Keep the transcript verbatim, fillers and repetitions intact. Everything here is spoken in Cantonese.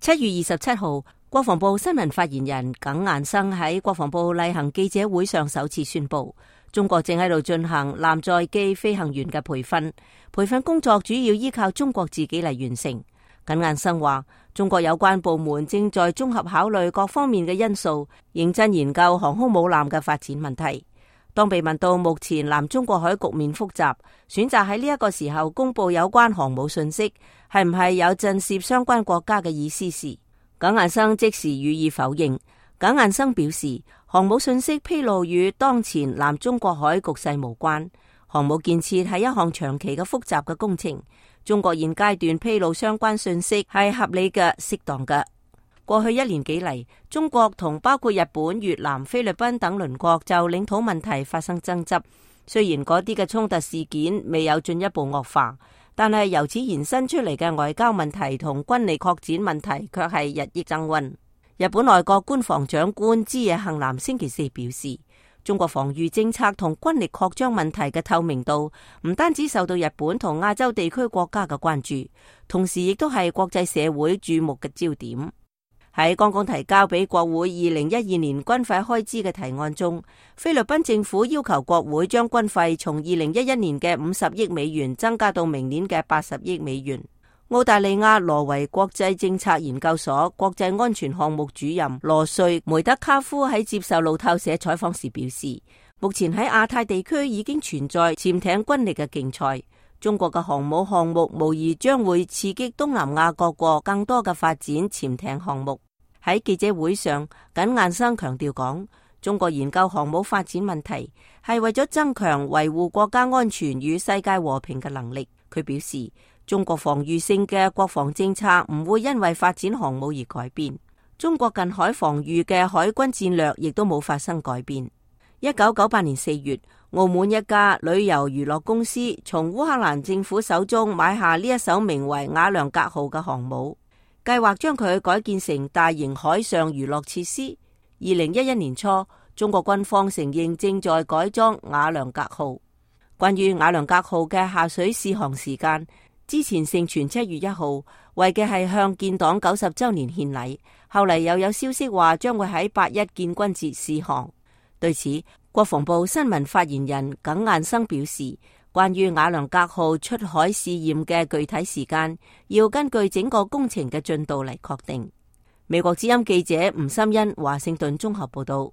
七月二十七號，國防部新聞發言人耿雁生喺國防部例行記者會上首次宣布，中國正喺度進行艦載機飛行員嘅培訓，培訓工作主要依靠中國自己嚟完成。耿雁生話，中國有關部門正在綜合考慮各方面嘅因素，認真研究航空母艦嘅發展問題。當被問到目前南中國海局面複雜，選擇喺呢一個時候公布有關航母信息，係唔係有震懾相關國家嘅意思時，耿雁生即時予以否認。耿雁生表示，航母信息披露與當前南中國海局勢無關，航母建設係一項長期嘅複雜嘅工程，中國現階段披露相關信息係合理嘅、適當嘅。過去一年幾嚟，中國同包括日本、越南、菲律賓等鄰國就領土問題發生爭執。雖然嗰啲嘅衝突事件未有進一步惡化，但係由此延伸出嚟嘅外交問題同軍力擴展問題卻係日益增溫。日本內閣官房長官枝野幸男星期四表示，中國防禦政策同軍力擴張問題嘅透明度唔單止受到日本同亞洲地區國家嘅關注，同時亦都係國際社會注目嘅焦點。喺剛剛提交俾國會二零一二年軍費開支嘅提案中，菲律賓政府要求國會將軍費從二零一一年嘅五十億美元增加到明年嘅八十億美元。澳大利亞羅維國際政策研究所國際安全項目主任羅瑞梅德卡夫喺接受路透社採訪時表示，目前喺亞太地區已經存在潛艇軍力嘅競賽。中國嘅航母項目無疑將會刺激東南亞各國更多嘅發展潛艇項目。喺記者會上，耿雁生強調講，中國研究航母發展問題係為咗增強維護國家安全與世界和平嘅能力。佢表示，中國防禦性嘅國防政策唔會因為發展航母而改變，中國近海防禦嘅海軍戰略亦都冇發生改變。一九九八年四月，澳門一家旅遊娛樂公司從烏克蘭政府手中買下呢一艘名為瓦良格號嘅航母，計劃將佢改建成大型海上娛樂設施。二零一一年初，中國軍方承認正在改裝瓦良格號。關於瓦良格號嘅下水試航時間，之前盛傳七月一號，為嘅係向建黨九十周年獻禮。後嚟又有消息話將會喺八一建軍節試航。對此，國防部新聞發言人耿雁生表示，關於瓦良格號出海試驗嘅具體時間，要根據整個工程嘅進度嚟確定。美國之音記者吳心欣華盛頓綜合報道。